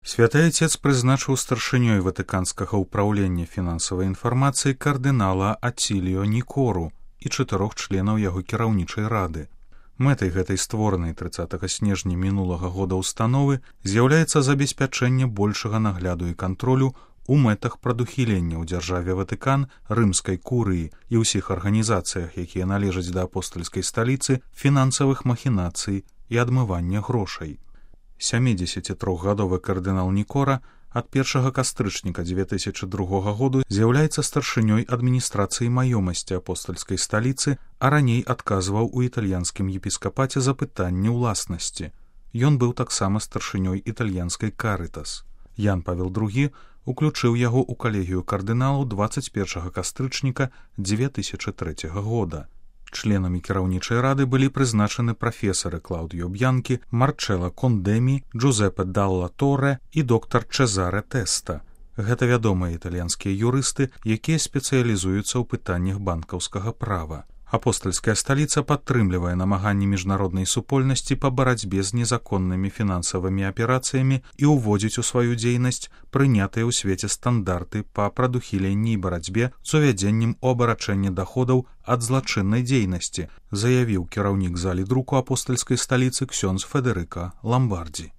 Святы Отец прызначыў старшынёй ватыканскага ўпраўлення фінансавай інфармацыі кардынала Аціліо Нікору і 4 членаў яго кіраўнічай рады. Мэтай гэтай створанай 30 снежня мінулага года ўстановы з'яўляецца забеспячэнне большага нагляду і кантролю у мэтах прадухілення ў дзяржаве Ватыкан, рымскай курыі і ўсіх арганізацыях, якія належаць да апостальскай сталіцы, фінансавых махінацый і адмывання грошай. 73-гадовы кардынал Нікора ад 1 кастрычніка 2002 году з'яўляецца старшынёй адміністрацыі маёмасці апостальскай сталіцы, а раней адказваў у італьянскім епіскапаце за пытанне ўласнасці. Ён быў таксама старшынёй італьянскай Карытас. Ян Павел II уключыў яго ў калегію кардыналаў 21 кастрычніка 2003 года. Членамі кіраўнічай рады былі прызначаны прафесары Клаўдіо Б'янкі, Марчэла Кондэмі, Джузеппе Далла Торе і доктар Чезаре Тэста. Гэта вядомыя італьянскія юрысты, якія спецыялізуюцца ў пытаннях банкаўскага права. Апостальская сталіца падтрымлівае намаганні міжнароднай супольнасці па барацьбе з незаконнымі фінансавымі аперацыямі і ўводзіць у сваю дзейнасць прынятыя ў свеце стандарты па прадухіленні і барацьбе з увядзеннем у абарачэнне даходаў ад злачыннай дзейнасці, заявіў кіраўнік залі друку апостальскай сталіцы ксёндз Федэрыка Ламбардзі.